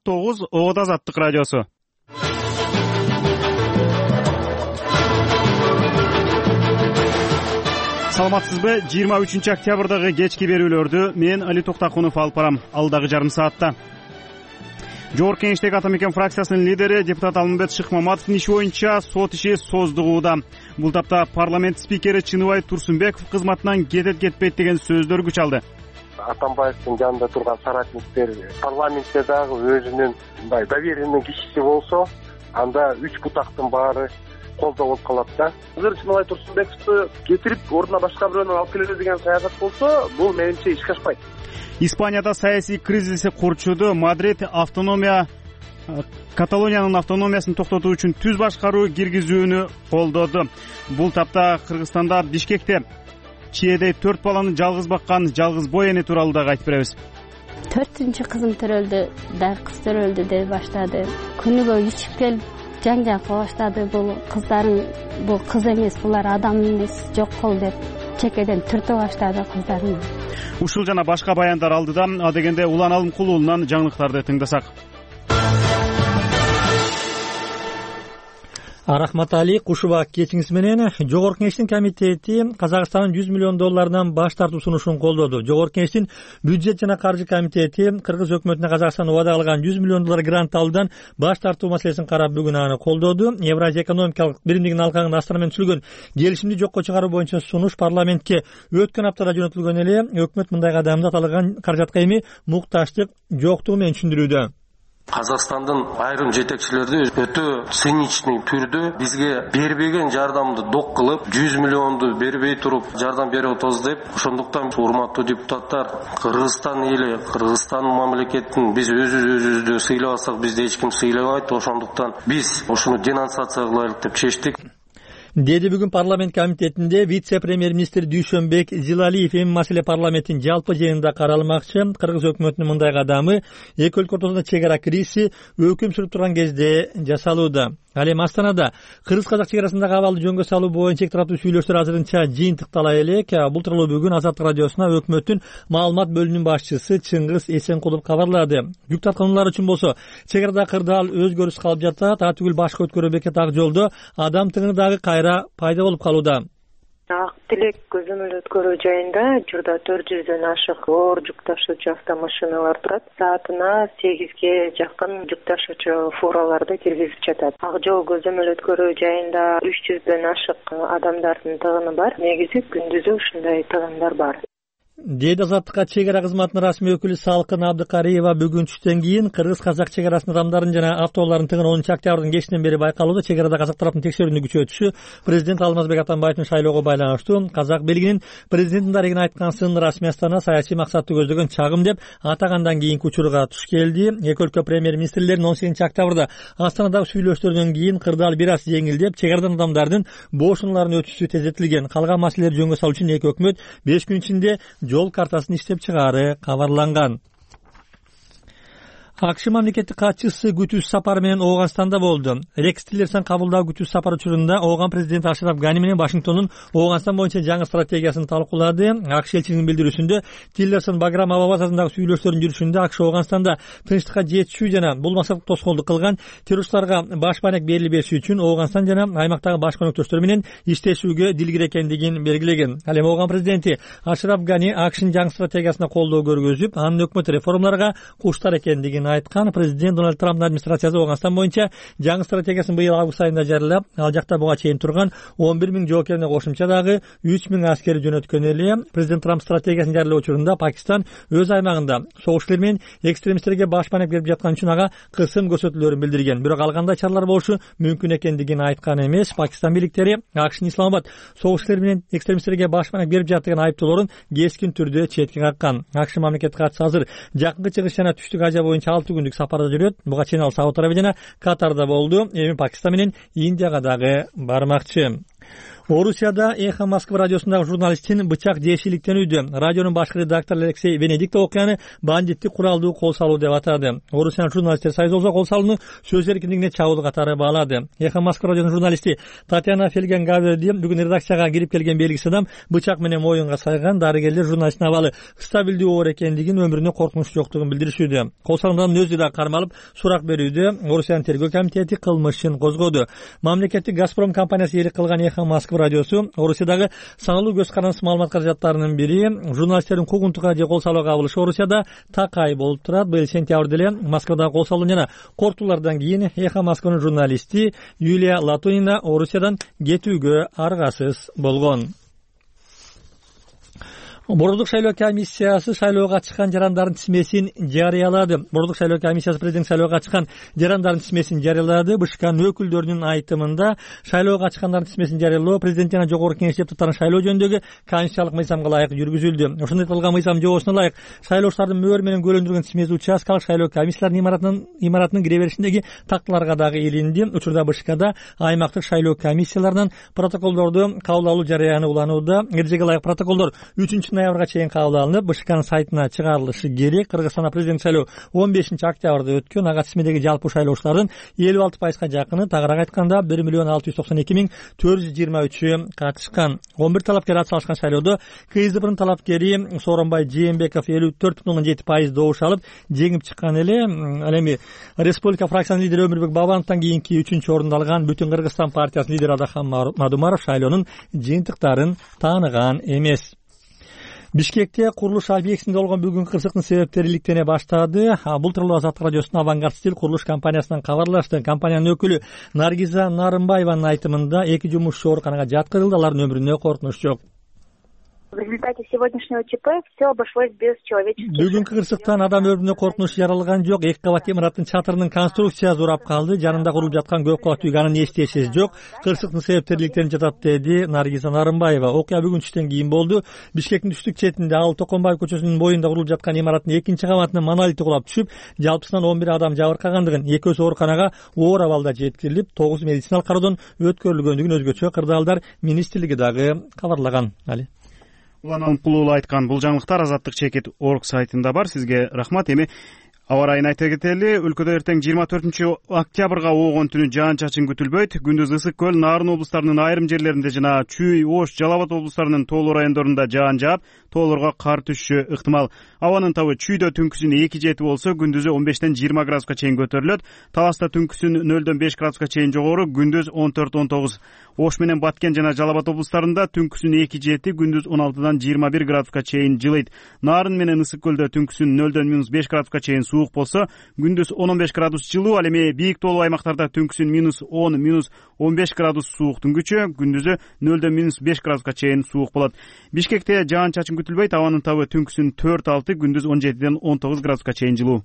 9 Оода Азаттык радиосу. Саламатсызбы? 23 октябрдагы кечки берүүлөрдү мен Али Токтакунов алып барам. Алдагы жарым саатта Жогорку Кеңештеги Ата Мекен фракциясынын лидери депутат Алмамбет Шыкмаматовдун иши боюнча сот иши создугууда. Бул тапта парламент спикери Чыныбай Турсунбеков кызматынан кетет-кетпейт деген сөздөр күч алды. Атамбаевдин жанында турган соратниктер парламентте дагы өзүнүн мындай доверенный кишиси болсо, анда 3 бутактын баары колдо болуп калат да. Азыр Чыныбай Турсунбековду кетирип, ордуна башка бирөөнү алып келебиз деген саясат болсо, бул менимче ишке ашпайт. Испанияда саясий кризиси курчуду. Мадрид Каталониянын автономиясын токтотуу үчүн түз башкаруу киргизүүнү колдоду. Бул тапта Кыргызстанда Бишкекте чиедей 4 баланы жалгыз баккан жалгыз бой эне тууралуу дагы айтып беребиз. 4-кызым төрөлдү, дагы кыз төрөлдү деп баштады. Күнүгө ичип келип жаңжал кыла баштады. Бул кыздарың, бул кыз эмес, булар адам эмес, жок кол деп чекеден түртө баштады кыздарын. Ушул жана башка баяндар алдыда. Адегенде Улан Алымкулуулунан жаңылыктарды тыңдасак. Рахмат Али, Кушуба кечиңиз менен. Жогорку Кеңештин комитети Казакстандын $100 миллион баш тартуу сунушун колдоду. Жогорку Кеңештин бюджет жана каржы комитети Кыргыз өкмөтүнө Казакстан убада кылган $100 миллион грант алуудан баш тартуу маселесин карап бүгүн аны колдоду. Евразия экономикалык биримдигинин алкагында Астана менен түзүлгөн келишимди жокко чыгаруу боюнча сунуш парламентке өткөн аптада жөнөтүлгөн эле. Өкмөт мындай кадамды аталган каражатка эми мукташтык жоктугу менен түшүндүрүүдө. Казакстандын айрым жетекчилери өтө циничный түрдө бизге бербеген жардамды док кылып, 100 миллионду бербей туруп жардам берип атабыз деп, ошондуктан урматтуу депутаттар, Кыргызстан эли, Кыргызстан мамлекетин биз өзүбүздү сыйлабасак, бизди эч ким сыйлабайт, ошондуктан биз ошону денонсация кылайлык деп чечтик. Деди бүгүн парламент комитетинде вице-премьер-министр Дүйшөнбек Зилалиев эми маселе парламенттин жалпы жыйынында каралмакчы. Кыргыз өкмөтүнүн мындай кадамы эки өлкө ортосунда чек ара кризиси өкүм сүрүп турган кезде жасалууда. Ал эми Астанада кыргыз-казак чек арасындагы абалды жөнгө салуу боюнча эки тараптуу сүйлөштөр азырынча жыйынтыктала элек. Бул тууралуу бүгүн Азаттык радиосуна өкмөттүн маалымат бөлүмүнүн башчысы Чыңгыз Эсенкулов кабарлады. Жүк тарткануулар үчүн болсо чек арада кырдаал өзгөрүш калып жатат. Ага түгүл башка өткөрүү бекет ак жолдо адам тыгыны дагы кайра пайда болуп калууда. Ак Тилек көзөмөл өткөрүү жайында учурда 400дөн ашык оор жүк ташуучу автомашиналар турат. Саатына 8ге жакын жүк ташуучу фураларды киргизип жатат. Ак жол көзөмөл өткөрүү жайында 300дөн ашык адамдардын тыгыны бар. Негизи күндүзү ушундай тыгындар бар. Деди Азаттыкка чек ара кызматынын расмий өкүлү Салкын Абдыкариева бүгүн түштөн кийин кыргыз-казак чек арасынын адамдарын жана автоолордун тыгыны 10 октябрдын кечинен бери байкалууда. Чек арада казак тараптын текшерүүнү күчөтүшү президент Алмазбек Атамбаевдин шайлоого байланыштуу. Казак бийлигинин президенттин дарегине айткансын расмий Астана саясий максатты көздөгөн чагым деп атагандан кийинки учурга туш келди. Эки өлкө премьер-министрлеринин 18 октябрда Астанадагы сүйлөштөрдөн кийин кырдаал бир аз жеңилдеп, чек арадан адамдардын бошуналарын өтүшү тездетилген. Калган маселелерди жөнгө салуу үчүн эки өкмөт 5 күн ичинде жол картасын иштеп чыгаары кабарланган. АКШ мамлекеттик катчысы күтүүсүз сапары менен Ооганстанда болду. Рекс Тиллерсон кабылдоо күтүүсүз сапар учурунда Ооган президенти Ашраф Гани менен Вашингтондун Ооганстан боюнча жаңы стратегиясын талкуулады. АКШ элчилигинин билдирүүсүндө Тиллерсон Баграм аба базарындагы сүйлөштөрдүн жүрүшүндө АКШ Ооганстанда тынчтыкка жетишүү жана бул максатка тоскоолдук кылган террористтарга баш байнек берилип бериши үчүн Ооганстан жана аймактагы башка өнөктөштөр менен иштешүүгө дилгир экендигин белгилеген. Ал эми Ооган президенти Ашраф Гани АКШнын жаңы стратегиясына колдоо көргөзүп, анын өкмөт реформаларга куштар экендигин айткан. Президент Дональд Трамптын администрациясы Ооганстан боюнча жаңы стратегиясын быйыл август айында жарыялап, ал жакта буга чейин турган 11 000 жоокерине кошумча дагы 3 000 аскер жөнөткөн эле. Президент Трамп стратегиясын жарыялоо учурунда Пакистан өз аймагында согуштар менен экстремисттерге баш байнек берип жаткан үчүн ага кысым көрсөтүүлөрүн билдирген. Бирок ал кандай чаралар болушу мүмкүн экендигин айткан эмес. Пакистан бийликтери АКШнын Исламабад согуштар менен экстремисттерге баш байнек берип жатты деген айыптоолорун кескин түрдө четке каккан. АКШ мамлекеттик катчысы азыр жакынкы чыгыш жана түштүк Азия боюнча 6 күндүк сапарда жүрөт. Буга чейин ал Сауд Арабия жана Катарда болду. Эми Пакистан менен Индияга дагы бармакчы. Орусияда Эхо Москвы радиосундагы журналисттин бычак жешиликтенүүдө. Радионун башкы редактору Алексей Венедиктов окуяны бандиттик куралдуу кол салуу деп атады. Орусиянын журналисттер союзу болсо кол салууну сөз эркиндигине чабуул катары баалады. Эхо Москвы радиосунун журналисти Татьяна Фельгенгаверди бүгүн редакцияга кирип келген белгисиз адам бычак менен моюнга сайган. Дарыгерлер журналисттин абалы стабилдүү оор экендигин, өмүрүнө коркунуч жоктугун билдиришүүдө. Кол салуудан өзү да кармалып сурак берүүдө. Орусиянын тергөө комитети кылмыш ишин козгоду. Мамлекеттик Газпром компаниясы ээлик кылган Эхо Москвы радиосу Орусиядагы саналуу көз карандысыз маалымат каражаттарынын бири. Журналисттердин куугунтукка же кол салууга кабылышы Орусияда такай болуп турат. Быйыл сентябрда эле Москвадагы кол салуу жана кортуулардан кийин Эхо Москванын журналисти Юлия Латунина Орусиядан кетүүгө аргасыз болгон. Борбордук шайлоо комиссиясы шайлоого чыккан жарандардын тизмесин жарыялады. Борбордук шайлоо комиссиясы президент шайлоого чыккан жарандардын тизмесин жарыялады. БШКнын өкүлдөрүнүн айтымында шайлоого чыккандардын тизмесин жарыялоо президент жана жогорку кеңеш депутаттарын шайлоо жөнүндөгү конституциялык мыйзамга ылайык жүргүзүлдү. Ошондой айтылган мыйзам жобосуна ылайык шайлоочулардын мөөр менен көлөндүргөн тизмеси участкалык шайлоо комиссияларынын имаратынын кире беришиндеги такталарга дагы илинди. Учурда БШКда аймактык шайлоо комиссияларынан протоколдорду кабыл алуу жарыяны уланууда. Эрежеге ылайык протоколдор 3-ноябрга чейин кабыл алынып, БШКнын сайтына чыгарылышы керек. Кыргызстанда президент шайлоо 15-октябрда өткөн. Ага тизмедеги жалпы шайлоочулардын 56%га жакыны, тагыраак айтканда 1,692,423 катышкан. 11 талапкер атсалышкан шайлоодо КСДПнын талапкери Сооронбай Жээнбеков 54,7% добуш алып жеңип чыккан эле. Ал эми Республика фракциясынын лидери Өмүрбек Бабановдон кийинки 3-орунду алган Бүтүн Кыргызстан партиясынын лидери Адахан Мадумаров шайлоонун жыйынтыктарын тааныган эмес. Бишкекте курулуш объектисинде болгон бүгүнкү кырсыктын себептери иликтене баштады. Бул тууралуу Азаттык радиосунун Авангард стиль курулуш компаниясынан кабарлашты. Компаниянын өкүлү Наргиза Нарымбаеванын айтымында 2 жумушчу ооруканага жаткырылды, алардын өмүрүнө коркунуч жок. В результате сегодняшнего ЧП все обошлось без человеческих. Бүгүнкү кырсыктан адам өмүрүнө коркунуч жаралган жок. 2 кабат имараттын чатырынын конструкциясы урап калды. Жанында курулуп жаткан көп кабаттуу үй анын эчтешеси жок. Кырсыктын себептери иликтенип жатат, деди Наргиза Нарымбаева. Окуя бүгүн түштөн кийин болду. Бишкектин түштүк четинде Ал Токонбаев көчөсүнүн боюнда курулуп жаткан имараттын 2-кабатынын монолити кулап түшүп, жалпысынан 11 адам жабыркагандыгын, 2-өсү ооруканага оор абалда жеткирилип, 9 медициналык кароодон өткөрүлгөндүгүн өзгөчө кырдаалдар министрлиги дагы кабарлаган. Улан Алымкулуулу айткан бул жаңылыктар Азаттык чекит орг сайтында бар. Сизге рахмат. Эми аба райын айта кетели. Өлкөдө эртең 24-октябрга оогон түнү жаан-чачын күтүлбөйт. Күндүз Ысык көл, Нарын облустарынын айрым жерлеринде жана Чүй, Ош, Жалал Абад облустарынын тоолуу райондорунда жаан жаап, тоолорго кар түшүшү ыктымал. Абанын табы Чүйдө түнкүсүн 2-7 болсо, күндүзү 15-20 градуска чейин көтөрүлөт. Таласта түнкүсүн 0-5 градуска чейин жогору, күндүз 14-19. Ош менен Баткен жана Жалал Абад облустарында түнкүсүн 2-7, күндүз 16-21 градуска чейин жылыйт. Нарын менен Ысык көлдө түнкүсүн 0-5 градуска чейин суук болсо, күндүз 10-15 градус жылуу. Ал эми бийик тоолуу аймактарда түнкүсүн -10-15 градус сууктун күчү, күндүзү 0-5 градуска чейин суук болот. Бишкекте жаан-чачын күтүлбөйт. Абанын табы түнкүсүн 4-6, күндүз 17-19 градуска чейин жылуу.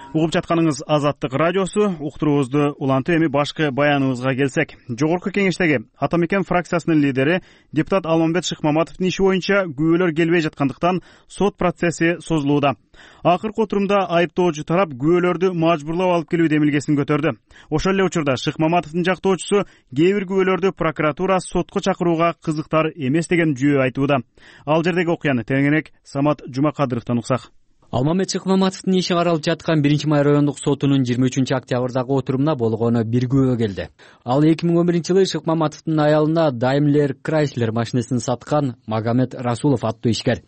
Угуп жатканыңыз Азаттык радиосу. Уктуруубузду улантып, эми башкы баяныбызга келсек. Жогорку кеңештеги Атамекен фракциясынын лидери депутат Алмамбет Шыкмаматовдун иши боюнча күбөлөр келбей жаткандыктан сот процесси созулууда. Акыркы отурумда айыптоочу тарап күбөлөрдү мажбурлап алып келүү демилгесин көтөрдү. Ошол эле учурда Шыкмаматовдун жактоочусу кээ бир күбөлөрдү прокуратура сотко чакырууга кызыктар эмес деген жүйө айтууда. Ал жердеги окуяны теңирээк Самат Жумакадыровдон уксак. Алмамбет Шыкмаматовдун иши каралып жаткан 1-Май райондук сотунун 23-октябрдагы отурумуна болгону бир күбө келди. Ал 2011-жылы Шыкмаматовдун аялына Daimler Chrysler машинесин саткан Магомед Расулов аттуу ишкер.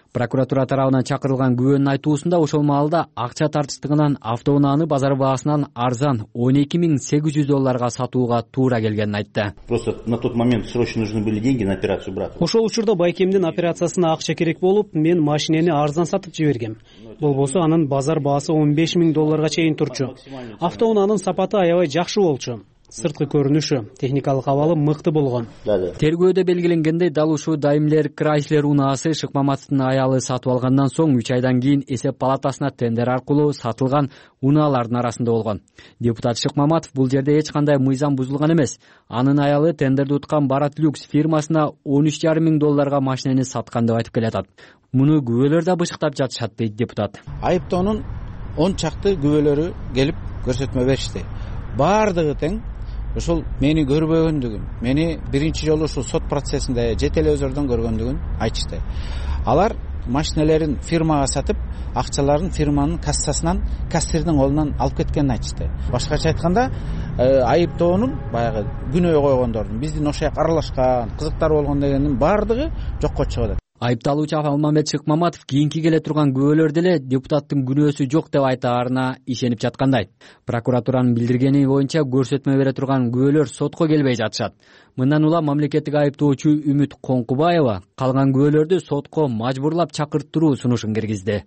Прокуратура тарабынан чакырылган күбөнүн айтуусунда ошол маалда акча тартыштыгынан автоунааны базар баасынан арзан $12,800 сатууга туура келгенин айтты. Просто на тот момент срочно нужны были деньги на операцию брата. Ошол учурда байкемдин операциясына акча керек болуп, мен машинени арзан сатып жибергем. Болбосо анын базар баасы $15,000 чейин турчу. Автоунаанын сапаты аябай жакшы болчу. Сырткы көрүнүшү, техникалык абалы мыкты болгон. Тергөөдө белгиленгендей, дал ушул Daimler Chrysler унаасы Шыкмаматовдун аялы сатып алгандан соң 3 айдан кийин эсеп палатасына тендер аркылуу сатылган унаалардын арасында болгон. Депутат Шыкмаматов бул жерде эч кандай мыйзам бузулган эмес. Анын аялы тендерди уткан Барат Люкс фирмасына $13,500 машинени саткан деп айтып келатат. Муну күбөлөр да бышыктап жатышат, дейт депутат. Айыптоонун 10 чакты күбөлөрү келип көрсөтмө беришти. Баардыгы тең ошол мени көрбөгөндүгүн, мени биринчи жолу ушул сот процессинде же телевизордон көргөндүгүн айтышты. Алар машинелерин фирмага сатып, акчаларын фирманын кассасынан, кассирдин колунан алып кеткенин айтышты. Башкача айтканда, айыптоонун баягы күнөө койгондордун, биздин ошол жака аралашкан, кызыктар болгон дегендин баардыгы жокко чыгып атат. Айыпталуучу Алмамбет Шыкмаматов кийинки келе турган күбөлөр деле депутаттын күнөөсү жок деп айтаарына ишенип жаткандай. Прокуратуранын билдиргени боюнча көрсөтмө бере турган күбөлөр сотко келбей жатышат. Мындан улам мамлекеттик айыптоочу Үмүт Коңкубаева калган күбөлөрдү сотко мажбурлап чакырттыруу сунушун киргизди.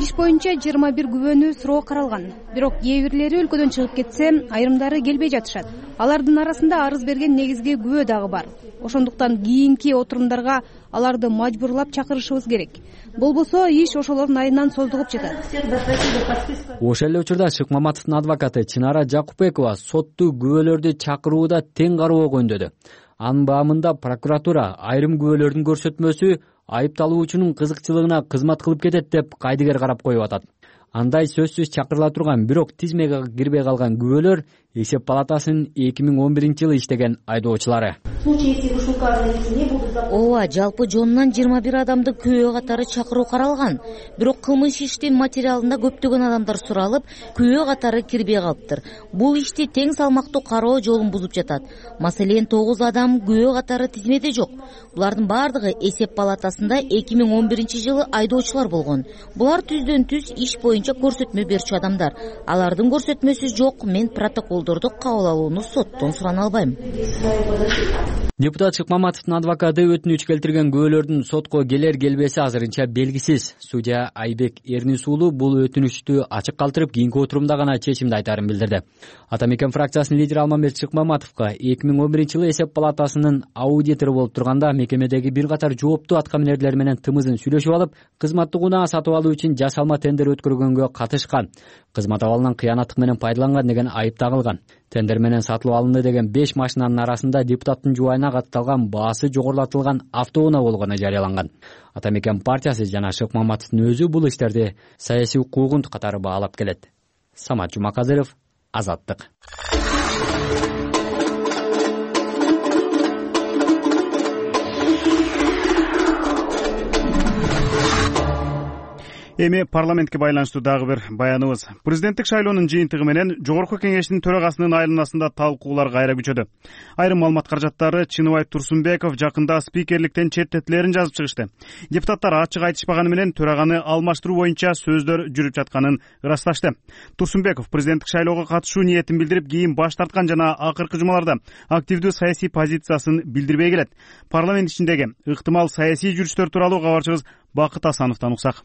Иш боюнча 21 күбөнүү суроо каралган. Бирок кээ бирлери өлкөдөн чыгып кетсе, айрымдары келбей жатышат. Алардын арасында арыз берген негизги күбө дагы бар. Ошондуктан кийинки отурумдарга аларды мажбурлап чакырышыбыз керек. Болбосо иш ошолордун айынан созулуп жатат. Ошол эле учурда Шыкмаматовдун адвокаты Чынара Жакупбекова сотту күбөлөрдү чакырууда тең кароого үндөдү. Анын баамында прокуратура айрым күбөлөрдүн көрсөтмөсү айыпталуучунун кызыкчылыгына кызмат кылып кетет деп кайдыгер карап коюп атат. Андай сөзсүз чакырыла турган, бирок тизмеге кирбей калган күбөлөр эсеп палатасынын 2011-жылы иштеген айдоочулары. Ооба, жалпы жонунан 21 адамды күбө катары чакыруу каралган. Бирок кылмыш иштин материалында көптөгөн адамдар суралып, күбө катары кирбей калыптыр. Бул ишти тең салмактуу кароо жолун бузуп жатат. Маселен, 9 адам күбө катары тизмеде жок. Булардын баардыгы эсеп палатасында 2011-жылы айдоочулар болгон. Булар түздөн түз иш боюнча көрсөтмө берчү адамдар. Алардын көрсөтмөсү жок. Мен протоколдорду кабыл алууну соттон сурана албайм. Депутат Шыкмаматовдун адвокаты өтүнүч келтирген күбөлөрдүн сотко келер келбеси азырынча белгисиз. Судья Айбек Эрнис уулу бул өтүнүчтү ачык калтырып, кийинки отурумда гана чечимди айтаарын билдирди. Ата Мекен фракциясынын лидери Алмамбет Шыкмаматовго 2011-жылы эсеп палатасынын аудитору болуп турганда мекемедеги бир катар жооптуу аткаминерлер менен тымызын сүйлөшүп алып, кызматтык унаа сатып алуу үчүн жасалма тендер өткөргөнгө катышкан, кызмат абалынан кыянаттык менен пайдаланган деген айып тагылган. Тендер менен сатылып алынды деген 5 машинанын арасында депутаттын жубайына катталган баасы жогорулатылган автоунаа болгону жарыяланган. Ата Мекен партиясы жана Шыкмаматовдун өзү бул иштерди саясий укугун катары баалап келет. Самат Жумакадыров, Азаттык. Эми парламентке байланыштуу дагы бир баяныбыз. Президенттик шайлоонун жыйынтыгы менен Жогорку Кеңештин төрагасынын айланасында талкуулар кайра күчөдү. Айрым маалымат каражаттары Чыныбай Турсунбеков жакында спикерликтен четтетилерин жазып чыгышты. Депутаттар ачык айтышпаганы менен төраганы алмаштыруу боюнча сөздөр жүрүп жатканын ырасташты. Турсунбеков президенттик шайлоого катышуу ниетин билдирип, кийин баш тарткан жана акыркы жумаларда активдүү саясий позициясын билдирбей келет. Парламент ичиндеги ыктымал саясий жүрүштөр тууралуу кабарчыбыз Бакыт Асановдон уксак.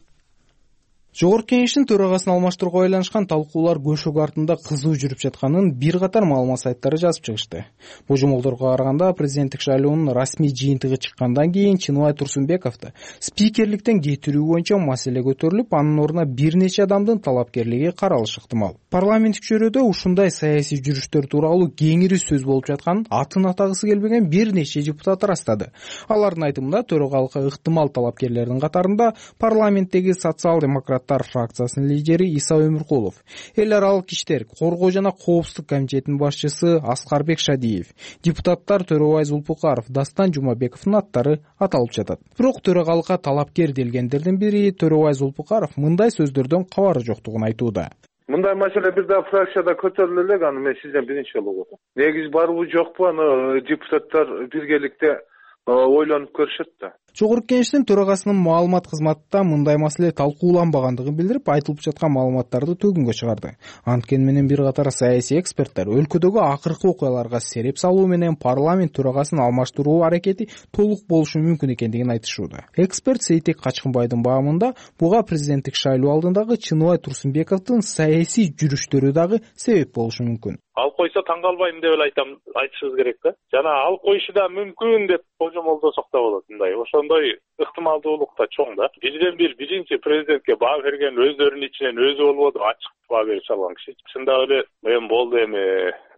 Жогорку Кеңештин төрагасын алмаштырууга байланышкан талкуулар көшөк артында кызуу жүрүп жатканын бир катар маалымат сайттары жазып чыгышты. Божомолдорго караганда президенттик шайлоонун расмий жыйынтыгы чыккандан кийин Чыныбай Турсунбековду спикерликтен кетирүү боюнча маселе көтөрүлүп, анын ордуна бир нече адамдын талапкерлиги каралышы ыктымал. Парламенттик чөйрөдө ушундай саясий жүрүштөр тууралуу кеңири сөз болуп жатканын атын атагысы келбеген бир нече депутат ырастады. Алардын айтымында төрагалыкка ыктымал талапкерлердин катарында парламенттеги социал-демократ фракциясынын лидери Иса Өмүркулов, эл аралык иштер, коргоо жана коопсуздук комитетинин башчысы Аскарбек Шадиев, депутаттар Төрөбай Зулпукаров, Дастан Жумабековдун аттары аталып жатат. Бирок төрагалыкка талапкер делгендердин бири Төрөбай Зулпукаров мындай сөздөрдөн кабары жоктугун айтууда. Мындай маселе бир да фракцияда көтөрүлө элек, аны мен сизден биринчи жолу угдум. Негизи барбы жокпу, аны депутаттар биргеликте ойлонуп көрүшөт да. Жогорку Кеңештин төрагасынын маалымат кызматы мындай маселе талкууланбагандыгын билдирип, айтылып жаткан маалыматтарды төгүнгө чыгарды. Анткени менен бир катар саясий эксперттер өлкөдөгү акыркы окуяларга сереп салуу менен парламент төрагасын алмаштыруу аракети толук болушу мүмкүн экендигин айтышууда. Эксперт Сейтек Качкынбайдын баамында буга президенттик шайлоо алдындагы Чыныбай Турсунбековдун саясий жүрүштөрү дагы себеп болушу мүмкүн. Ал койсо таң калбайм деп эле айтышыбыз керек да. Жана ал коюшу да мүмкүн деп божомолдосок да болот. Мындай ошондой ыктымалдуулук да чоң да. Бирден бир биринчи президентке баа берген өздөрүнүн ичинен өзү болбоду, ачык баа бере салган киши. Чындап эле мен болду эми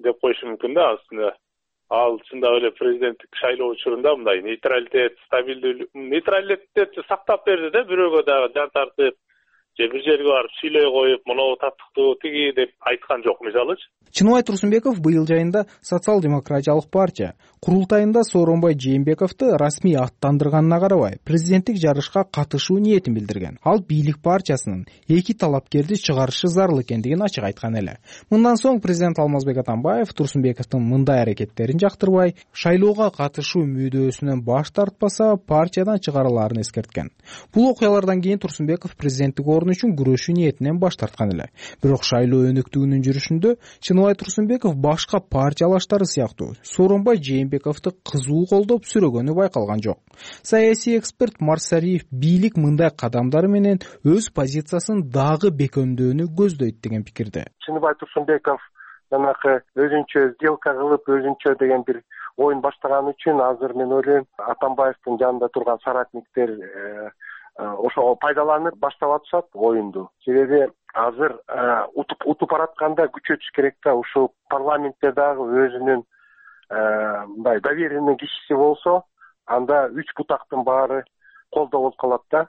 деп коюшу мүмкүн да. Аслында ал чындап эле президенттик шайлоо учурунда мындай нейтралитет, стабилдүүлүк, нейтралитетти сактап берди да, бирөөгө дагы жан тартып, же бир жерге барып сүйлөй коюп моногу таттыктуу тиги деп айткан жок мисалычы. Чыныбай Турсунбеков быйыл жайында социал-демократиялык партия курултайында Сооронбай Жээнбековду расмий аттандырганына карабай президенттик жарышка катышуу ниетин билдирген. Ал бийлик партиясынын 2 талапкерди чыгарышы зарыл экендигин ачык айткан эле. Мындан соң президент Алмазбек Атамбаев Турсунбековдун мындай аракеттерин жактырбай, шайлоого катышуу мүдөөсүнөн баш тартпаса, партиядан чыгарылаарын эскерткен. Бул окуялардан кийин Турсунбеков президенттик орун үчүн күрөшүү ниетинен баш тарткан эле. Бирок шайлоо өнөктүгүнүн жүрүшүндө Чыныбай Турсунбеков башка партиялаштары сыяктуу Сооронбай Жээнбековду кызуу колдоп сүрөгөнү байкалган жок. Саясий эксперт Марсариев бийлик мындай кадамдары менен өз позициясын дагы бекемдөөнү көздөйт деген пикирде. Чыныбай Турсунбеков жанагы өзүнчө сделка кылып, өзүнчө деген бир оюн баштаган үчүн азыр мен ойлойм Атамбаевдин жанында турган соратниктер ошого пайдаланып баштап атышат оюнду. Себеби азыр утуп баратканда күчөтүш керек да, ушул парламентте дагы өзүнүн мындай доверенный кишиси болсо, анда 3 бутактын баары колдоо болуп калат да.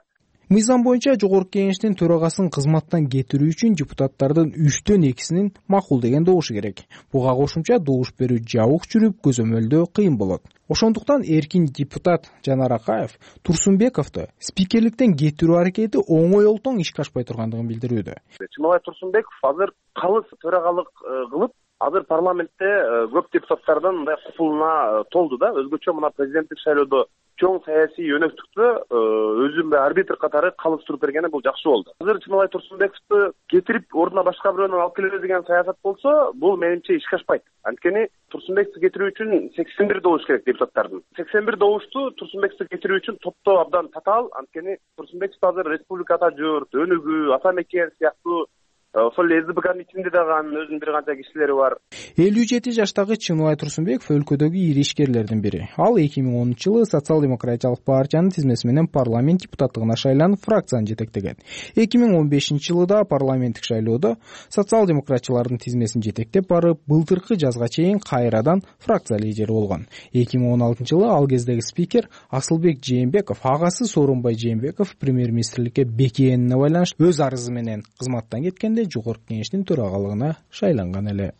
Мыйзам боюнча жогорку кеңештин төрагасын кызматтан кетирүү үчүн депутаттардын 3төн 2синин макул деген добушу керек. Буга кошумча добуш берүү жабык жүрүп, көзөмөлдөө кыйын болот. Ошондуктан эркин депутат Жанар Акаев Турсунбековду спикерликтен кетирүү аракети оңой олтоң ишке ашпай тургандыгын билдирүүдө. Чыныбай Турсунбеков азыр калыс төрагалык кылып, азыр парламентте көп депутаттардын мындай купулуна толду да. Өзгөчө мына президенттик шайлоодо чоң саясий өнөктүктө өзүн арбитр катары калыс туруп бергени бул жакшы болду. Азыр Чыныбай Турсунбековду кетирип ордуна башка бирөөнү алып келебиз деген саясат болсо, бул менимче ишке ашпайт. Анткени Турсунбековду кетирүү үчүн 81 добуш керек депутаттардын. 81 добушту Турсунбековду кетирүү үчүн топтоо абдан татаал. Анткени Турсунбеков азыр республикада журт, Өнүгүү, Ата Мекен сыяктуу ошол СДПКнын ичинде дагы өзүнүн бир канча кишилери бар. 57 жаштагы Чыныбай Турсунбеков өлкөдөгү ири ишкерлердин бири. Ал 2010-жылы социал-демократиялык партиянын тизмеси менен парламент депутаттыгына шайланып, фракцияны жетектеген. 2015-жылы да парламенттик шайлоодо социал-демократчылардын тизмесин жетектеп барып, былтыркы жазга чейин кайрадан фракция лидери болгон. 2016-жылы ал кездеги спикер Асылбек Жээнбеков агасы Сооронбай Жээнбеков премьер-министрликке бекигенине байланыштуу өз арызы менен кызматтан кеткенде жогорку кеңештин төрагалыгына шайланган эле.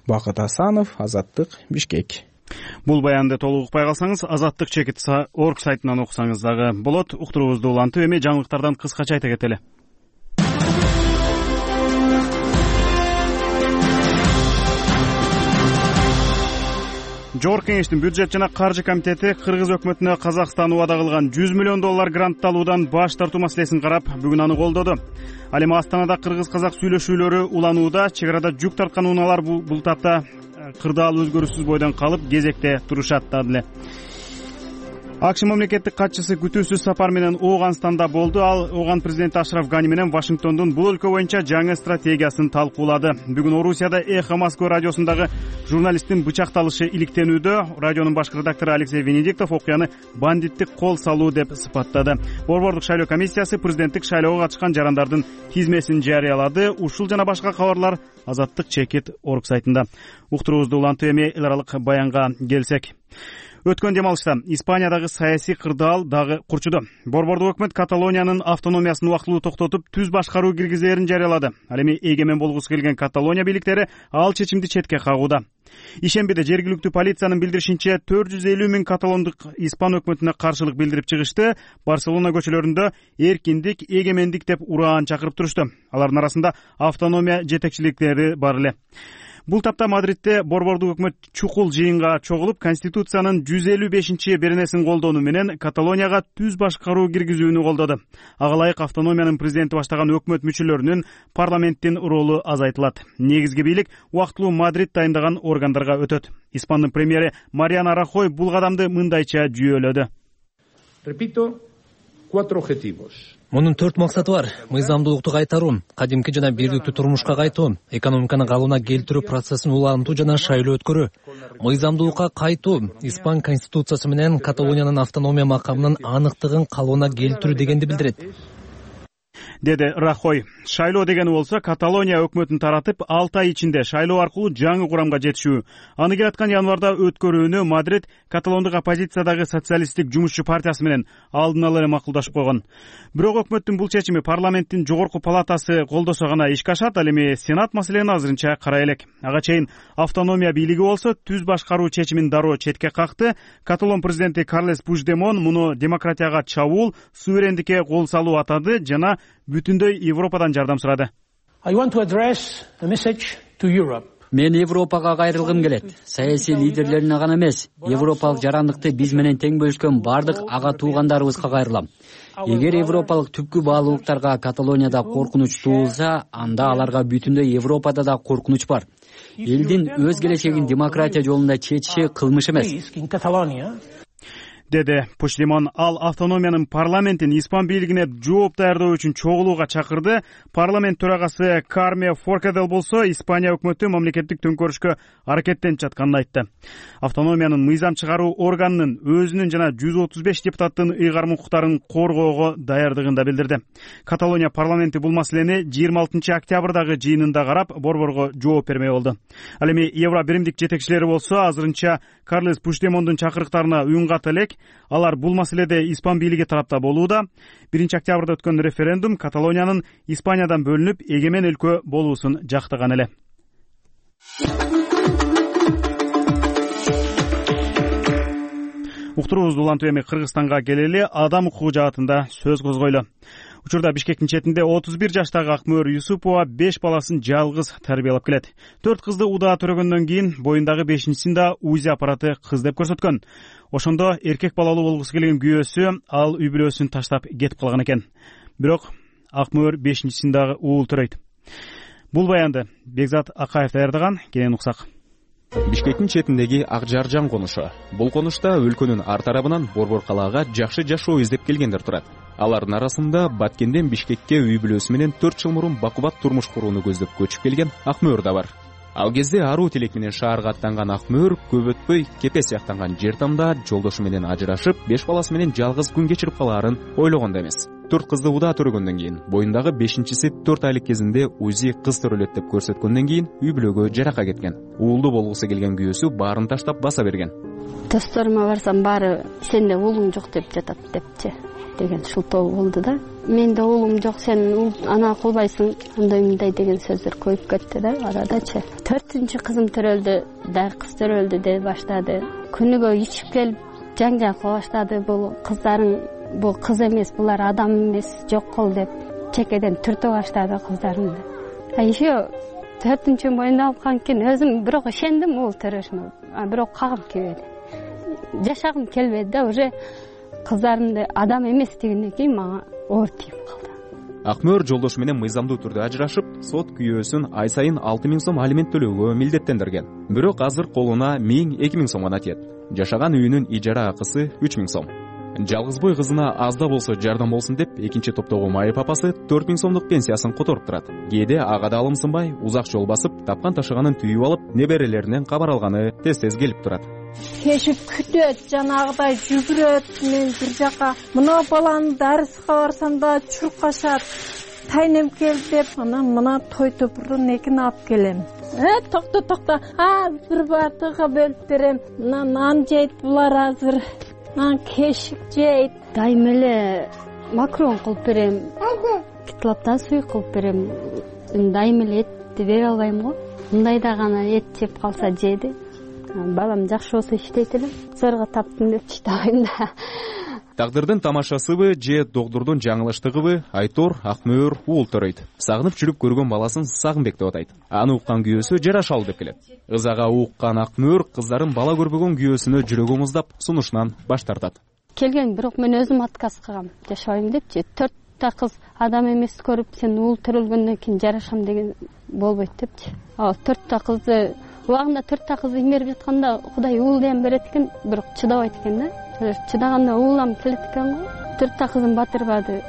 Бакыт Асанов, Азаттык, Бишкек. Бул баянды толук укпай калсаңыз, Азаттык чекит.org сайтынан окусаңыз дагы болот. Уктуруубузду улантып, эми жаңылыктардан кыскача айта кетели. Жогорку кеңештин бюджет жана каржы комитети Кыргыз өкмөтүнө Казакстан убада кылган $100 миллион грант алуудан баш тартуу маселесин карап, бүгүн аны колдоду. Ал эми Астанада кыргыз-казак сүйлөшүүлөрү уланууда. Чек арада жүк тарткан унаалар бул тапта кырдаал өзгөрүүсүз бойдон калып, кезекте турушат да эле. АКШ мамлекеттик катчысы күтүүсүз сапар менен Ооганстанда болду. Ал Ооган президенти Ашраф Гани менен Вашингтондун бул өлкө боюнча жаңы стратегиясын талкуулады. Бүгүн Орусияда Эхо Москва радиосундагы журналисттин бычакталышы иликтенүүдө. Радионун башкы редактору Алексей Венедиктов окуяны бандиттик кол салуу деп сыпаттады. Борбордук шайлоо комиссиясы президенттик шайлоого катышкан жарандардын тизмесин жарыялады. Ушул жана башка кабарлар Азаттык чекит.org сайтында. Уктуруубузду улантып, эми эл аралык баянга келсек. Өткөн демалышта Испаниядагы саясий кырдаал дагы курчуду. Борбордук өкмөт Каталониянын автономиясын убактылуу токтотуп, түз башкаруу киргизээрин жарыялады. Ал эми эгемен болгусу келген Каталония бийликтери ал чечимди четке кагууда. Ишембиде жергиликтүү полициянын билдиришинче 450 000 каталондук испан өкмөтүнө каршылык билдирип чыгышты. Барселона көчөлөрүндө эркиндик, эгемендик деп ураан чакырып турушту. Алардын арасында автономия жетекчиликтери бар эле. Бул тапта Мадридде борбордук өкмөт чукул жыйынга чогулуп, Конституциянын 155-беренесин колдонуу менен Каталонияга түз башкаруу киргизүүнү колдоду. Ага ылайык автономиянын президенти баштаган өкмөт мүчөлөрүнүн парламенттин ролу азайтылат. Негизги бийлик убактылуу Мадрид дайындаган органдарга өтөт. Испандын премьери Мариано Рахой бул кадамды мындайча жүйөлөдү. Repito, 4 objetivos. Мунун 4 максаты бар: мыйзамдуулукту кайтаруу, кадимки жана бийликтүү турмушка кайтуу, экономиканы калыбына келтирүү процессин улантуу жана шайлоо өткөрүү. Мыйзамдуулукка кайтуу, Испан конституциясы менен Каталониянын автономия макамынын аныктыгын калыбына келтирүү дегенди билдирет. деди Рахой. Шайлоо дегени болсо Каталония өкмөтүн таратып 6 ай ичинде шайлоо аркылуу жаңы курамга жетишүү. Аны келаткан январда өткөрүүнү Мадрид каталондук оппозициядагы социалисттик жумушчу партиясы менен алдын ала эле макулдашып койгон. Бирок өкмөттүн бул чечими парламенттин жогорку палатасы колдосо гана ишке ашат. Ал эми Сенат маселени азырынча карай элек. Ага чейин автономия бийлиги болсо түз башкаруу чечимин дароо четке какты. Каталон президенти Карлес Пучдемон муну демократияга чабуул, суверендикке кол салуу атады жана бүтүндөй Европадан жардам сурады. Мен Европага кайрылгым келет. Саясий лидерлерине гана эмес, европалык жарандыкты биз менен тең бөлүшкөн бардык ага туугандарыбызга кайрылам. Эгер европалык түпкү баалуулуктарга Каталонияда коркунуч туулса, анда аларга бүтүндөй Европада да коркунуч бар. Элдин өз келечегин демократия жолунда чечиши кылмыш эмес, деди Пучдемон. Ал автономиянын парламентин испан бийлигине жооп даярдоо үчүн чогулууга чакырды. Парламент төрагасы Карме Форкадел болсо Испания өкмөтү мамлекеттик төңкөрүшкө аракеттенип жатканын айтты. Автономиянын мыйзам чыгаруу органынын өзүнүн жана 135 депутаттын ыйгарым укуктарын коргоого даярдыгын да билдирди. Каталония парламенти бул маселени 26 октябрдагы жыйынында карап, борборго жооп бермей болду. Ал эми Евро биримдик жетекчилери болсо азырынча Карлес Пучдемондун чакырыктарына үн ката элек. Алар бул маселеде испан бийлиги тарапта болууда. 1 октябрда өткөн референдум Каталониянын Испаниядан бөлүнүп эгемен өлкө болуусун жактаган эле. Уктуруубузду улантып эми Кыргызстанга келели. Адам укугу жаатында сөз козгойлу. Учурда Бишкектин четинде 31 жаштагы Акмөр Юсупова 5 баласын жалгыз тарбиялап келет. 4 кызды удаа төрөгөндөн кийин боюндагы 5-син да УЗИ аппараты кыз деп көрсөткөн. Ошондо эркек балалуу болгусу келген күйөөсү ал үй бүлөсүн таштап кетип калган экен. Бирок Акмөр 5-син дагы уул төрөйт. Бул баянды Бекзат Акаев даярдаган. Кенен уксак. Бишкектин четиндеги Ак Жаржан конушу. Бул конушта өлкөнүн ар тарабынан борбор калаага жакшы жашоо издеп келгендер турат. Алардын арасында Баткенден Бишкекке үй бүлөсү менен 4 жыл мурун бакубат турмуш курууну көздөп көчүп келген Акмөр да бар. Ал кезде аруу тилек менен шаарга аттанган Акмөр көп өтпөй Кепе сыяктанган жер тамда жолдошу менен ажырашып, 5 баласы менен жалгыз күн кечирип калаарын ойлогон да эмес. 4 кызды удаа төрөгөндөн кийин, боюндагы 5-си 4 айлык кезинде УЗИ кыз төрөлөт деп көрсөткөндөн кийин үй бүлөгө жарака кеткен. Уулду болгусу келген күйөөсү баарын таштап баса берген. Досторума барсам баары сенде уулуң жок деп жатат депчи деген шылтоо болду да. Менде уулум жок, сен ана кылбайсың, андай деген сөздөр көйүп кетти да арадачы. 4-чү кызым төрөлдү, дагы кыз төрөлдү деп баштады. Күнүгө ичип келип жаңжак кыла баштады. Бул кыздарың бул кыз эмес, булар адам эмес, жок кыл деп чекеден түртө баштады кыздарымды. Еще 4-чү боюнда алган кийин өзүм бирок ишендим уулу төрөшүмө. Бирок кагым келбеди. Жашагым келбеди да, уже кыздарымды адам эмес дегенден кийин мага оор тийип калды. Акмөр жолдошу менен мыйзамдуу түрдө ажырашып, сот күйөөсүн ай сайын 6000 сом алимент төлөөгө милдеттендирген. Бирок азыр колуна 1000-2000 сом гана тиет. Жашаган үйүнүн ижара акысы 3000 сом. Жалгызбой кызына аз да болсо жардам болсун деп, экинчи топтогу майып апасы 4000 сомдук пенсиясын которуп турат. Кээде ага да алымсынбай, узак жол басып, тапкан ташыганын түйүп алып, неберелеринен кабар алганы тез-тез келип турат. Кешип күтөт, жанагыдай жүгүрөт, мен бир жака мына баланы дарыска барсам да чуркашат. Тайнем кел деп, мына той топурдун экин алып келем. Токто. Бир бартыга бөлүп берем. Мына нан жейт булар азыр. Нан кешип жейт. Дайым эле макарон кылып берем. Китлаптан суй кылып берем. Дайым эле этти бере албайм го. Мындайда гана эт жеп калса жейди. Балам жакшы болсо иштейт элем. Зарга таптым деп иштебейм да. Тагдырдын тамашасыбы же догдурдун жаңылыштыгыбы Айтор Акмөр уул төрөйт. Сагынып жүрүп көргөн баласын Сагынбек деп атайт. Аны уккан күйөөсү жарашалуу деп келет. Ызага уккан Акмөр кыздарын бала көрбөгөн күйөөсүнө жүрөгү муздап сунушунан баш тартат. Келген, бирок мен өзүм отказ кылгам. Жашабайм депчи. 4 кыз адам эмес көрүп, сен уул төрөлгөндөн кийин жарашам деген болбойт депчи. 4 кызды убагында 4 кызды имерип жатканда Кудай уул дем берет экен, бирок чыдабайт экен да. Чыдаганда уулам келет экен го. 4 кызын батырбады.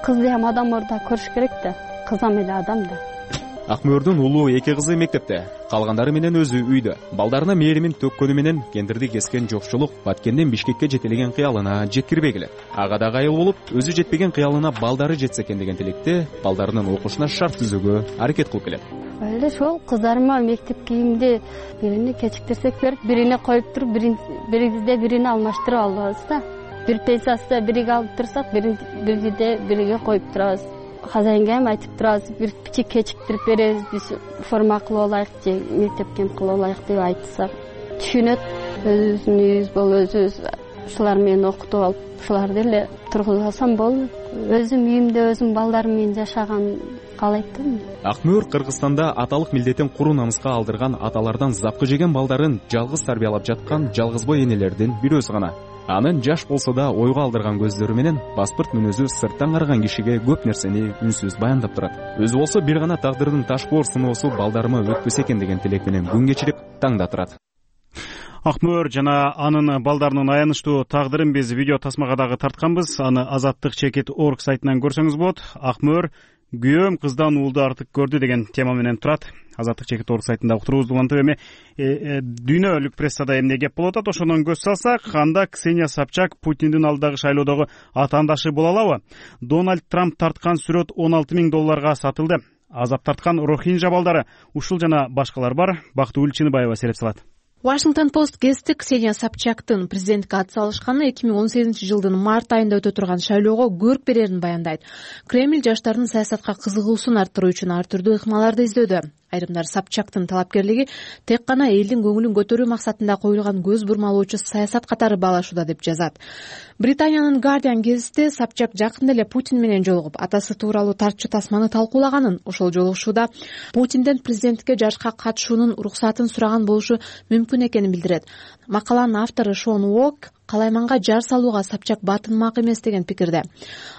Кызды адам орда көрүш керек да, кызам эле адам да. Акмөөрдүн улуу 2 кызы мектепте, калгандары менен өзү үйдө. Балдарына мээримин төккөнү менен кендирди кескен жокчулук Баткенден Бишкекке жетелеген кыялына жеткирбей келет. Ага да кайыл болуп, өзү жетпеген кыялына балдары жетсе экен деген тилекте балдарынын окушуна шарт түзүүгө аракет кылып келет. Эле ошол кыздарыма мектеп кийимди бирини кечиктирсек берип, бирине коюп туруп, бирибизде бирине алмаштырып алабыз да. Бир пенсиясында бириге алып турсак, бирде бириге коюп турабыз. Хозяинге ham айтып турабыз, бир кичик кечиктирип беребиз, биз форма кылып алайык же мектеп кийим кылып алайык деп айтсак түшүнөт. Өзүбүздүн үйүбүз болуп, өзүбүз ушулар менен окутуп алып, ушуларды эле тургузуп алсам болду. Өзүм үйүмдө өзүм балдарым менен жашаган каалайт да. Акмөөр Кыргызстанда аталык милдетин куру намыска алдырган аталардан запкы жеген балдарын жалгыз тарбиялап жаткан жалгызбой энелердин бирөөсү гана. Анын жаш болсо да ойго алдырган көздөрү менен паспорт мүнөзү сырттан караган кишиге көп нерсени үнсүз баяндап турат. Өзү болсо бир гана тагдырдын таш боор сыноосу балдарыма өтпөсө экен деген тилек менен күн кечирип таңда турат. Акмөөр жана анын балдарынын аянычтуу тагдырын биз видео тасмага дагы тартканбыз. Аны azattik.org сайтынан көрсөңүз болот. Акмөөр күйөөм кыздан уулду артык көрдү деген тема менен турат. azattik.org сайтында уктуруубузду улантып эми дүйнөлүк прессада эмне кеп болуп атат, ошондон көз салсак, анда Ксения Собчак Путиндин алдагы шайлоодогу атаандашы боло алабы? Дональд Трамп тарткан сүрөт $16,000 сатылды. Азап тарткан рохинжа балдары, ушул жана башкалар бар. Бактыгүл Чыныбаева сереп салат. Washington Post гезити Ксения Собчактын президентке ат салышканы 2018-жылдын март айында өтө турган шайлоого көрк берерин баяндайт. Кремль жаштардын саясатка кызыгуусун арттыруу үчүн ар түрдүү ыкмаларды издөдө. Айрымдар Собчактын талапкерлиги тек гана элдин көңүлүн көтөрүү максатында коюлган көз бурмалоочу саясат катары баалашууда деп жазат. Британиянын Guardian гезити Собчак жакында эле Путин менен жолугуп, атасы тууралуу тартчу тасманы талкуулаганын, ошол жолугушууда Путинден президентке жашка катышуунун уруксатын сураган болушу мүмкүн экенин билдирет. Макаланын автору Шон Уок калайманга жар салууга Собчак батынмак эмес деген пикирде.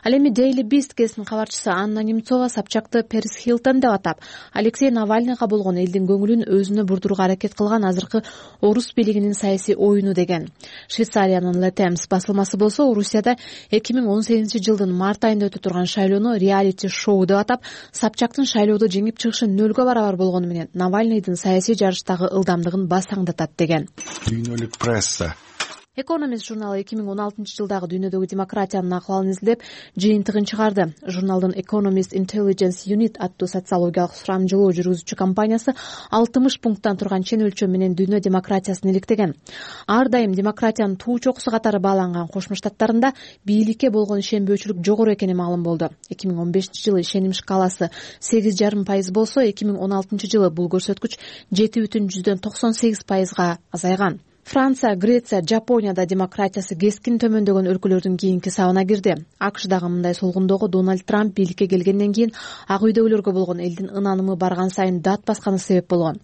Ал эми Daily Beast гезитинин кабарчысы Анна Немцова Собчакты Перис Хилтон деп атап, Алексей Навальныйга болгон элдин көңүлүн өзүнө бурдурууга аракет кылган азыркы орус бийлигинин саясий оюну деген. Швейцариянын Le Temps басылмасы болсо Орусияда 2018-жылдын март айында өтө турган шайлоону реалити шоу деп атап, Собчактын шайлоодо жеңип чыгышы нөлгө барабар болгону менен Навальныйдын саясий жарыштагы ылдамдыгын басаңдатат деген. Дүйнөлүк пресса Economist журналы 2016-жылдагы дүйнөдөгү демократиянын акыбалын изилдеп, жыйынтыгын чыгарды. Журналдын Economist Intelligence Unit аттуу социологиялык сурамжылоо жүргүзүүчү компаниясы 60 пункттан турган чен өлчөм менен дүйнө демократиясын иликтеген. Ар дайым демократиянын туу чокусу катары бааланган Кошмо Штаттарында бийликке болгон ишенбөөчүлүк жогору экени маалым болду. 2015-жылы ишеним шкаласы 8,5% болсо, 2016-жылы бул көрсөткүч 7,98%га азайган. Франция, Греция, Жапонияда демократиясы кескин төмөндөгөн өлкөлөрдүн кийинки сабына кирди. АКШдагы мындай солгундоого Дональд Трамп бийликке келгенден кийин ак үйдөгүлөргө болгон элдин ынанымы барган сайын дат басканы себеп болгон.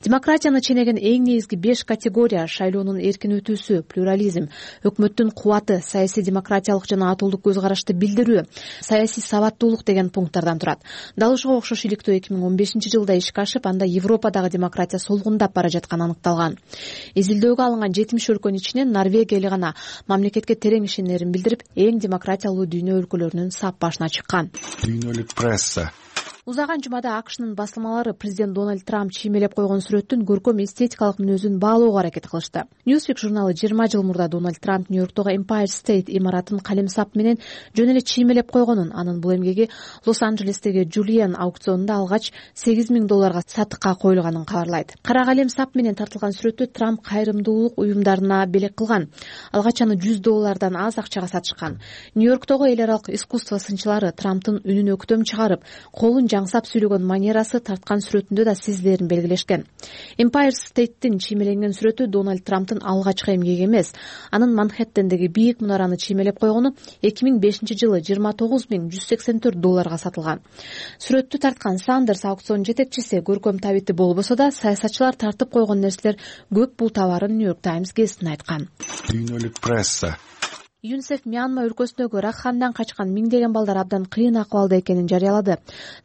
Демократияны ченеген эң негизги 5 категория: шайлоонун эркин өтүүсү, плюрализм, өкмөттүн кубаты, саясий демократиялык жана атуулдук көз карашты билдирүү, саясий сабаттуулук деген пункттардан турат. Дал ушуга окшош иликтөө 2015-жылда ишке ашып, анда Европадагы демократия солгундап бара жатканы аныкталган. Изилдөөгө 70 өлкөнүн ичинен Норвегия эле гана мамлекетке терең ишенерин билдирип, эң демократиялуу дүйнө өлкөлөрүнүн сап башына чыккан. Дүйнөлүк пресса Узаган жумада АКШнын басылмалары президент Дональд Трамп чиймелеп койгон сүрөттүн көркөм эстетикалык мүнөзүн баалоого аракет кылышты. Newsweek журналы 20 жыл мурда Дональд Трамп Нью-Йорктогу Empire State имаратын калемсап менен жөн эле чиймелеп койгонун, анын бул эмгеги Лос-Анджелестеги Julian аукционунда алгач $8,000 сатыкка коюлганын кабарлайт. Кара калемсап менен тартылган сүрөттү Трамп кайрымдуулук уюмдарына белек кылган. Алгач аны $100 аз акчага сатышкан. Нью-Йорктогу эл аралык искусство сынчылары Трамптын үнүн өктөм чыгарып, колун жаңсап сүйлөгөн манерасы тарткан сүрөтүндө да сезилерин белгилешкен. Empire State'тин чиймеленген сүрөтү Дональд Трамптын алгачкы эмгеги эмес. Анын Манхэттендеги бийик мунараны чиймелеп койгону 2005-жылы $29,184 сатылган. Сүрөттү тарткан Сандерс аукцион жетекчиси көркөм табити болбосо да, саясатчылар тартып койгон нерселер көп бул товарын New York Times гезитине айткан. Дүйнөлүк пресса юнисеф Мьянма өлкөсүндөгү Ракхандан качкан миңдеген балдар абдан кыйын акыбалда экенин жарыялады.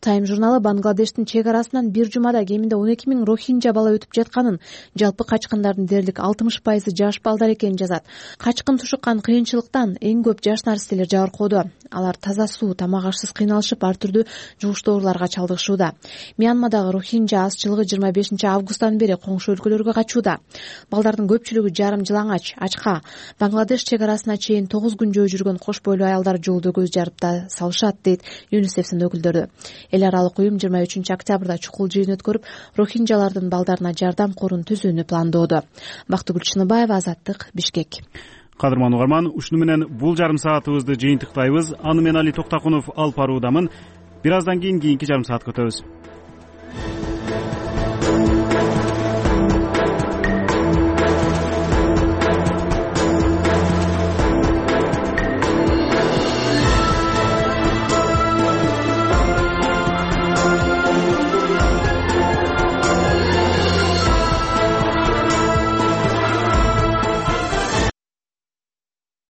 Тайм журналы Бангладештин чек арасынан бир жумада кеминде 12 000 рохинджа бала өтүп жатканын, жалпы качкындардын дээрлик 60% жаш балдар экенин жазат. Качкын тушуккан кыйынчылыктан эң көп жаш наристелер жабыркоодо. Алар таза суу, тамак ашсыз кыйналышып, ар түрдүү жугуштуу ооруларга чалдыгышууда. Мьянмадагы рохинджа азчылыгы 25 августтан бери коңшу өлкөлөргө качууда. Балдардын көпчүлүгү жарым жылаңач, ачка. Бангладеш чек арасына чейин 9 күн жөө жүргөн кош бойлуу аялдар жолдо көз жарып да салышат, дейт ЮНИСЕФтин өкүлдөрү. Эл аралык уюм 23 октябрда чукул жыйын өткөрүп, рохинджалардын балдарына жардам корун түзүүнү пландоодо. Бактыгүл Чыныбаева, Азаттык, Бишкек. Кадырман угарман, ушуну менен бул жарым саатыбызды жыйынтыктайбыз. Аны мен Али Токтакунов алып баруудамын. Бир аздан кийин кийинки жарым саатка өтөбүз.